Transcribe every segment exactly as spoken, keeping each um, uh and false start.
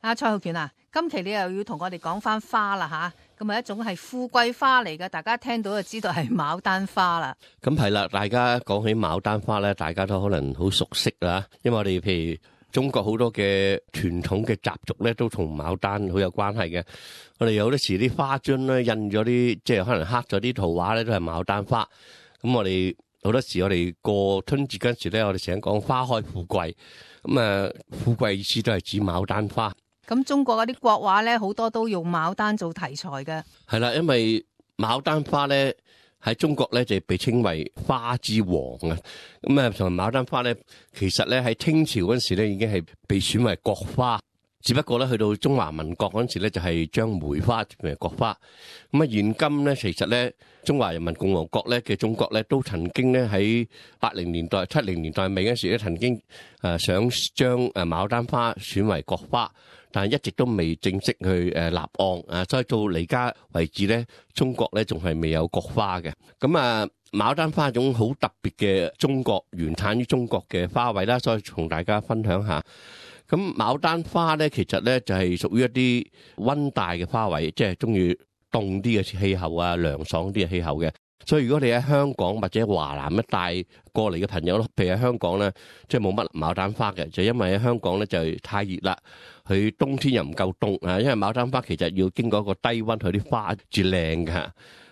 阿蔡浩權啊，今期你又要同我哋講翻花啦吓，咁啊一種係富貴花嚟嘅，大家聽到就知道係牡丹花啦。咁係啦，大家講起牡丹花咧，大家都可能好熟悉啦，因為我哋譬如中國好多嘅傳統嘅習俗咧，都同牡丹好有關係嘅。我哋有啲時啲花樽咧印咗啲，即係可能刻咗啲圖畫咧，都係牡丹花。咁我哋好多時我哋過春節嗰陣時咧，我哋成日講花開富貴，咁啊富貴意思都係指牡丹花。咁中國嗰啲國畫咧，好多都用牡丹做題材嘅。係啦，因為牡丹花咧喺中國咧就被稱為花之王啊。咁啊，同埋牡丹花咧，其實咧喺清朝嗰陣時咧已經係被選為國花，只不過咧去到中華民國嗰陣時咧就係將梅花變為國花。咁啊，現今咧其實咧中華人民共和國咧嘅中國咧都曾經咧喺八零年代、七零年代尾嗰時咧曾經誒想將誒牡丹花選為國花。但係一直都未正式去誒立案啊，所以到而家為止咧，中國咧仲係未有國花嘅。咁啊，牡丹花係一種好特別嘅中國原產於中國嘅花卉啦，所以同大家分享下。咁牡丹花咧，其實咧就係屬於一啲溫帶嘅花卉，即係中意凍啲嘅氣候啊，涼爽啲嘅氣候嘅。所以如果你喺香港或者華南一帶過嚟嘅朋友咯，譬如喺香港咧，即係冇乜牡丹花嘅，就因為喺香港咧就太熱啦，佢冬天又唔夠凍啊，因為牡丹花其實要經過一個低溫，佢啲花至靚㗎。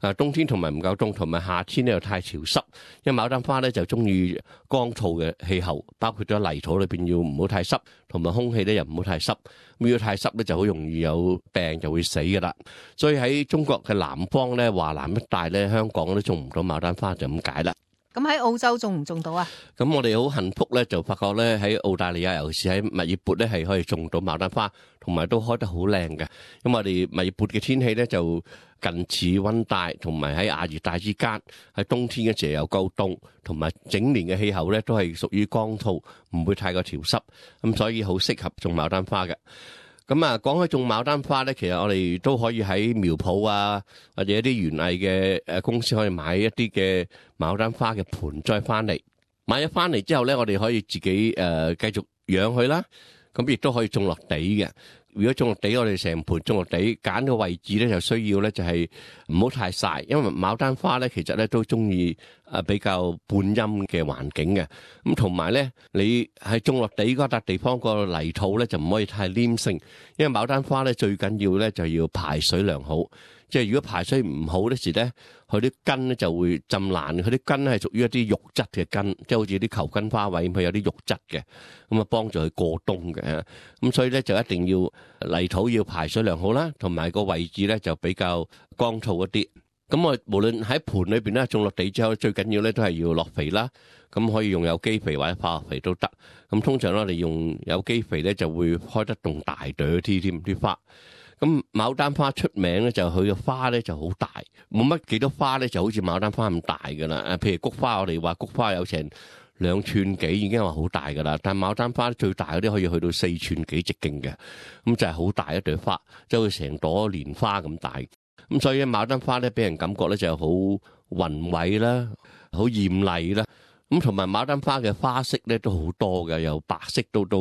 啊，冬天同埋唔夠凍，同埋夏天咧又太潮濕，因為牡丹花咧就中意乾燥嘅氣候，包括咗泥土裏邊要唔好太濕，同埋空氣咧又唔好太濕。咁如果太濕咧就好容易有病，就會死噶啦。所以喺中國嘅南方咧，華南一帶咧，香港都種唔到牡丹花，就咁解啦。咁喺澳洲種唔種到啊？咁我哋好幸福咧，就發覺咧喺澳大利亞，尤其是喺墨爾本咧，係可以種到牡丹花，同埋都開得好靚嘅。因為我哋墨爾本嘅天氣咧就近似溫帶，同埋喺亞熱帶之間，喺冬天嘅時候又夠凍，同埋整年嘅氣候咧都係屬於乾燥，唔會太過潮濕，咁所以好適合種牡丹花嘅。咁啊，講起種牡丹花咧，其實我哋都可以喺苗圃啊，或者一啲園藝嘅誒公司可以買一啲嘅牡丹花嘅盆栽翻嚟。買咗翻嚟之後咧，我哋可以自己誒繼續養佢啦。咁亦都可以種落地嘅。如果種落地，我哋成盆種落地，揀個位置咧就需要咧就係唔好太曬，因為牡丹花咧其實咧都中意誒比較半陰嘅環境嘅。咁同埋咧，你喺種落地嗰笪地方個泥土咧就唔可以太黏性，因為牡丹花咧最緊要咧就要排水良好。即係如果排水唔好嗰時咧，佢啲根咧就會浸爛。佢啲根咧係屬於一啲肉質嘅根，即係好似啲球根花卉咁，佢有啲肉質嘅，咁啊幫助佢過冬嘅。咁所以咧就一定要泥土要排水良好啦，同埋個位置咧就比較乾燥一啲。咁我無論喺盆裏邊咧種落地之後，最緊要咧都係要落肥啦。咁可以用有機肥或者化學肥都得。咁通常咧我哋用有機肥咧就會開得動大朵啲添啲花。咁牡丹花出名咧就佢嘅花咧就好大，冇乜幾多花咧就好似牡丹花咁大噶啦。誒，譬如菊花，我哋話菊花有成兩寸幾已經話好大噶啦，但係牡丹花最大嗰啲可以去到四寸幾直徑嘅，咁就係好大一朵花，即係成朵蓮花咁大。咁所以牡丹花咧俾人感覺咧就好宏偉啦，好豔麗啦。咁同埋牡丹花嘅花色咧都好多嘅，由白色到到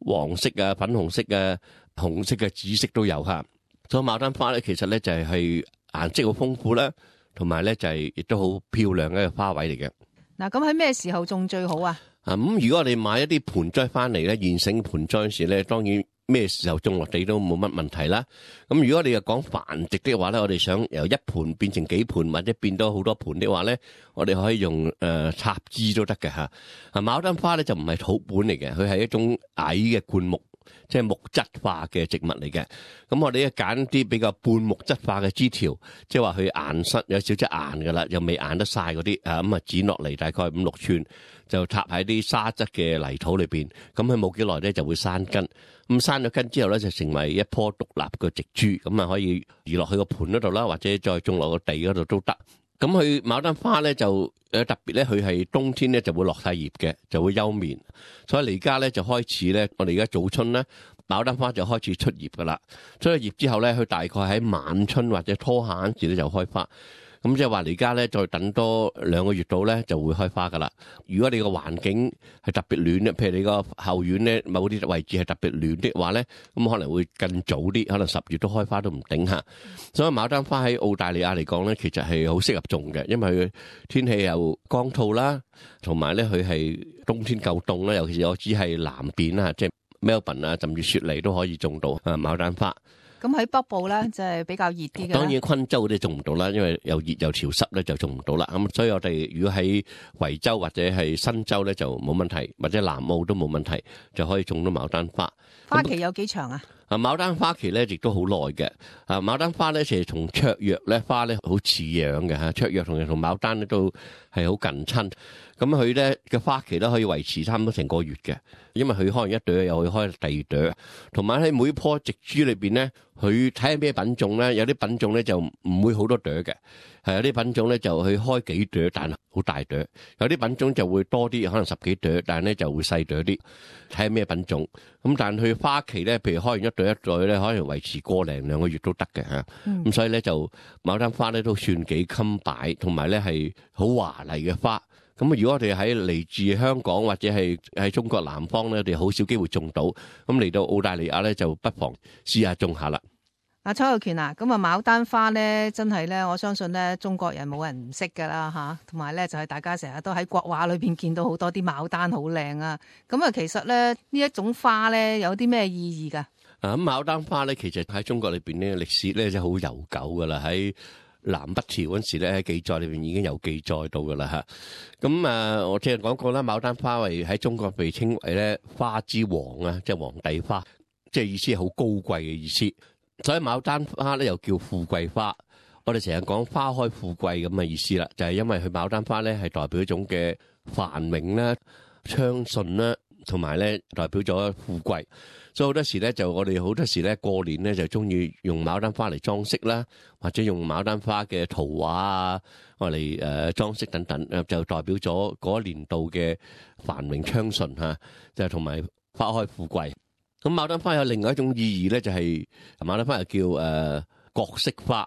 黃色啊、粉紅色啊、紅色嘅紫色都有吓。所以牡丹花咧其實咧就係係顏色好豐富啦，同埋咧就係亦都好漂亮嘅花卉嚟嘅。嗱，咁喺咩時候種最好啊？啊，咁如果我哋買一啲盆栽翻嚟咧，現成盆栽時咧，當然咩時候種落地都冇乜問題啦。咁如果你又講繁殖的話咧，我哋想由一盆變成幾盆，或者變到好多盆的話咧，我哋可以用誒插枝都得嘅吓。啊，牡丹花咧就唔係土本嚟嘅，佢係一種矮嘅灌木，即係木質化嘅植物嚟嘅。咁我哋咧揀啲比較半木質化嘅枝條，即係話佢硬身有少少硬噶啦，又未硬得晒嗰啲啊，咁啊剪落嚟大概五六寸，就插喺啲沙質嘅泥土裏邊。咁佢冇幾耐咧就會生根。咁生咗根之後咧，就成為一棵獨立嘅植株，咁啊可以移落去個盆嗰度啦，或者再種落個地嗰度都得。咁佢牡丹花咧就誒特別咧，佢係冬天咧就會落晒葉嘅，就會休眠。所以而家咧就開始咧，我哋而家早春咧，牡丹花就開始出葉噶啦。出咗葉之後咧，佢大概喺晚春或者初夏嗰時咧就開花。咁咁即係話你而家咧再等多兩個月到咧就會開花噶啦。如果你個環境係特別暖咧，譬如你個後院咧某啲位置係特別暖的話咧，咁可能會更早啲，可能十月都開花都唔定吓。所以牡丹花喺澳大利亞嚟講咧，其實係好適合種嘅，因為佢天氣又乾燥啦，同埋咧佢係冬天夠凍啦，尤其是我只係南邊啊，即係 Melbourne 啊，甚至雪梨都可以種到啊牡丹花。咁喺北部咧，就係比較熱啲嘅。當然昆州嗰啲種唔到啦，因為又熱又潮濕咧，就種唔到啦。咁所以我哋如果喺維州或者係新州咧，就冇問題，或者南澳都冇問題，就可以種到牡丹花。花期有幾長啊？啊，牡丹花期咧亦都好耐嘅。啊，牡丹花咧其實同雀藥咧花咧好似樣嘅嚇，雀藥同同牡丹咧都係好近親。咁佢咧嘅花期咧可以維持差唔多成個月嘅，因為佢開完一朵又會開第二朵，同埋喺每棵植株裏邊咧，佢睇下咩品種咧，有啲品種咧就唔會好多朵嘅，係有啲品種咧就去開幾朵，但係好大朵；有啲品種就會多啲，可能十幾朵，但係咧就會細朵啲，睇下咩品種。咁但係佢花期咧，譬如開完一朵一朵咧，可能維持個零兩個月都得嘅嚇。咁、嗯、所以咧就牡丹花咧都算幾襟擺，同埋咧係好華麗嘅花。咁如果我哋喺嚟自香港或者係喺中國南方咧，我哋好少機會種到。咁嚟到澳大利亞咧，就不妨試下種下啦。阿蔡浩權啊，咁啊牡丹花咧，真係咧，我相信咧，中國人冇人唔識噶啦吓，同埋咧就係大家成日都喺國畫裏邊見到好多啲牡丹好靚啊。咁啊，其實咧呢一種花咧有啲咩意義噶？啊，咁牡丹花咧，其實喺中國裏邊咧歷史咧就好悠久噶啦，喺南北朝嗰時咧喺記載裏邊已經有記載到噶啦吓。咁啊，我之前講過啦，牡丹花為喺中國被稱為咧花之王啊，即係皇帝花，即係意思係好高貴嘅意思。所以牡丹花咧又叫富貴花。我哋成日講花開富貴咁嘅意思啦，就係因為佢牡丹花咧係代表一種嘅繁榮啦、昌順啦，同埋咧代表咗富貴。所以好多時咧就我哋好多時咧過年咧就中意用牡丹花嚟裝飾啦，或者用牡丹花嘅圖畫啊，我嚟誒裝飾等等，就代表咗嗰一年度嘅繁榮昌順吓，就同埋花開富貴。咁牡丹花有另外一種意義咧，就係牡丹花又叫誒國色花。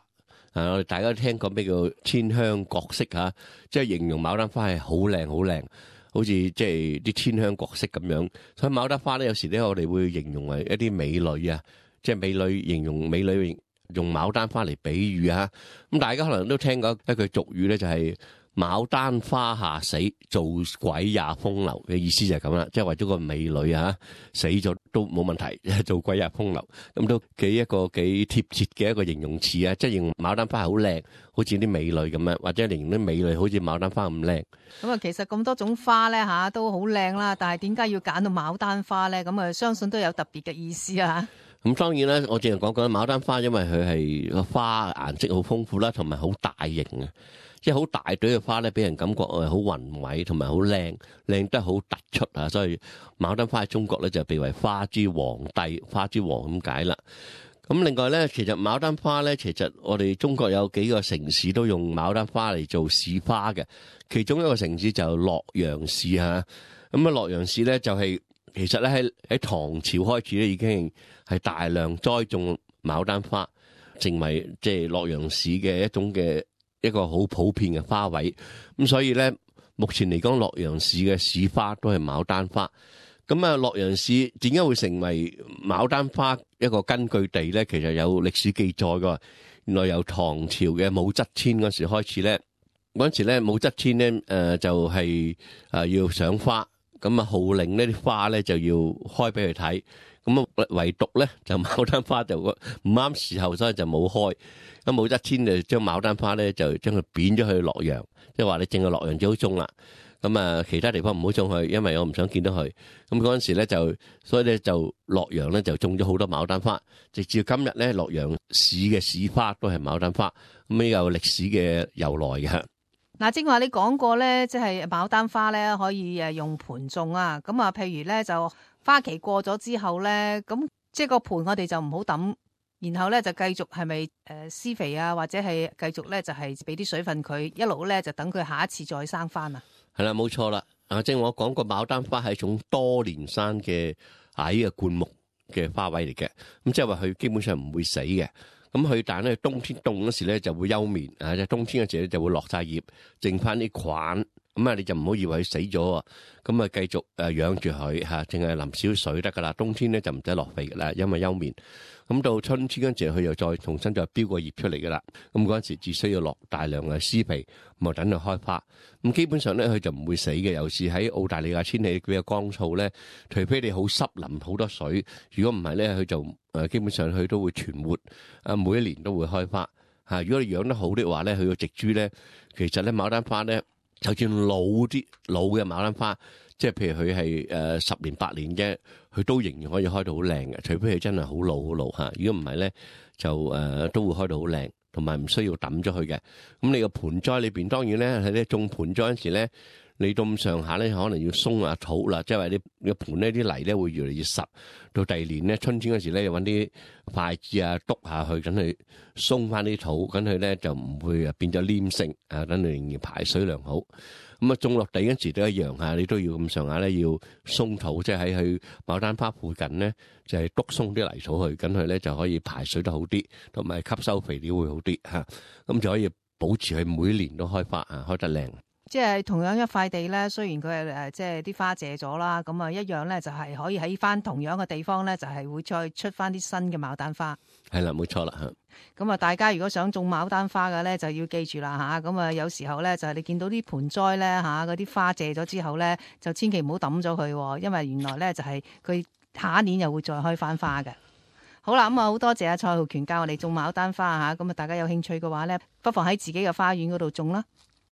啊，我哋大家都聽過咩叫天香國色吓，即係形容牡丹花係好靚好靚。好似即係啲天香國色咁樣，所以牡丹花咧有時咧我哋會形容為一啲美女啊，即係美女形容美女用牡丹花嚟比喻啊。咁大家可能都聽過一句俗語咧，就係牡丹花下死，做鬼也風流嘅意思就係咁啦，即係為咗個美女啊死咗都冇問題，做鬼也風流，咁都幾一個幾貼切嘅一個形容詞啊，即係形容牡丹花係好靚，好似啲美女咁樣，或者形容啲美女好似牡丹花咁靚。咁啊，其實咁多種花咧吓都好靚啦，但係點解要揀到牡丹花咧？咁啊，相信都有特別嘅意思啊。咁當然啦，我淨係講講牡丹花，因為佢係個花顏色好豐富啦，同埋好大型啊。即係好大朵嘅花咧，俾人感覺誒好宏偉，同埋好靚，靚得好突出啊！所以牡丹花喺中國咧就被為花之皇帝、花之王咁解啦。咁另外咧，其實牡丹花咧，其實我哋中國有幾個城市都用牡丹花嚟做市花嘅，其中一個城市就係洛陽市嚇。咁啊，洛陽市咧就係、是、其實咧喺喺唐朝開始咧已經係大量栽種牡丹花，成為即係洛陽市嘅一種嘅一個好普遍嘅花卉。咁所以咧，目前嚟講，洛陽市嘅市花都係牡丹花。咁啊，洛陽市點解會成為牡丹花一個根據地咧？其實有歷史記載㗎。原來由唐朝嘅武則天嗰時開始咧，嗰陣時咧武則天咧誒就係誒要賞花，咁啊號令呢啲花咧就要開俾佢睇。咁啊唯獨咧就牡丹花就唔啱時候，所以就冇開。咁武則天就將牡丹花咧就將佢貶咗去洛陽，即係話你淨係洛陽最好種啦。咁啊，其他地方唔好種佢，因為我唔想見到佢。咁嗰陣時咧就，所以咧就洛陽咧就種咗好多牡丹花，直至今日咧洛陽市嘅市花都係牡丹花，咁呢有歷史嘅由來嘅。嗱，正話你講過咧，即係牡丹花咧可以誒用盆種啊。咁啊，譬如咧就花期過咗之後咧，咁即係個盆我哋就唔好抌，然後咧就繼續係咪誒施肥啊，或者係繼續咧就係俾啲水分佢，一路咧就等佢下一次再生翻啊。係啦，冇錯啦。啊，正如我講過，牡丹花係一種多年生嘅矮嘅灌木嘅花卉嚟嘅。咁即係話佢基本上唔會死嘅。咁佢但係咧冬天凍嗰時咧就會休眠啊，即係冬天嗰時咧就會落晒葉，剩翻啲菌。咁啊，你就唔好以為佢死咗喎，咁啊繼續誒養住佢嚇，淨係淋少水得噶啦。冬天咧就唔使落肥噶啦，因為休眠。咁到春天嗰陣時，佢又再重新再標個葉出嚟噶啦。咁嗰陣時只需要落大量嘅施肥，咁啊等佢開花。咁基本上咧，佢就唔會死嘅。尤其是喺澳大利亞天氣比較乾燥咧，除非你好濕淋好多水，如果唔係咧，佢就誒基本上佢都會存活，啊每一年都會開花嚇。如果你養得好啲話咧，佢個植株咧，其實咧牡丹花咧。就算老啲老嘅牡丹花，即係譬如佢係誒十年八年嘅，佢都仍然可以開到好靚嘅。除非佢真係好老好老嚇，如果唔係咧，就誒、呃、都會開到好靚，同埋唔需要抌咗佢嘅。咁你個盆栽裏邊當然咧喺啲種盆栽嗰陣時咧，你到咁上下咧，可能要鬆下土啦，即係話你個盆呢啲泥咧會越嚟越實。到第二年咧，春天嗰時咧，又揾啲筷子啊篤下去，等佢鬆翻啲土，咁佢咧就唔會啊變咗黏性啊，等佢仍然排水良好。咁啊種落地嗰時都一樣嚇，你都要咁上下咧要鬆土，即係喺佢牡丹花附近咧就係篤鬆啲泥土去，咁佢咧就可以排水得好啲，同埋吸收肥料會好啲嚇，咁就可以保持佢每年都開花啊，開得靚。即係同樣一塊地咧，雖然佢係誒即係啲花謝咗啦，咁啊一樣咧就係可以喺翻同樣嘅地方咧，就係會再出翻啲新嘅牡丹花。係啦，冇錯啦嚇。咁啊，大家如果想種牡丹花嘅咧，就要記住啦嚇。咁啊，有時候咧就係你見到啲盆栽咧嚇，嗰啲花謝咗之後咧，就千祈唔好抌咗佢，因為原來咧就係佢下一年又會再開翻花嘅。好啦，咁啊好多謝阿蔡浩權教我哋種牡丹花嚇。咁啊，大家有興趣嘅話咧，不妨喺自己嘅花園嗰度種啦。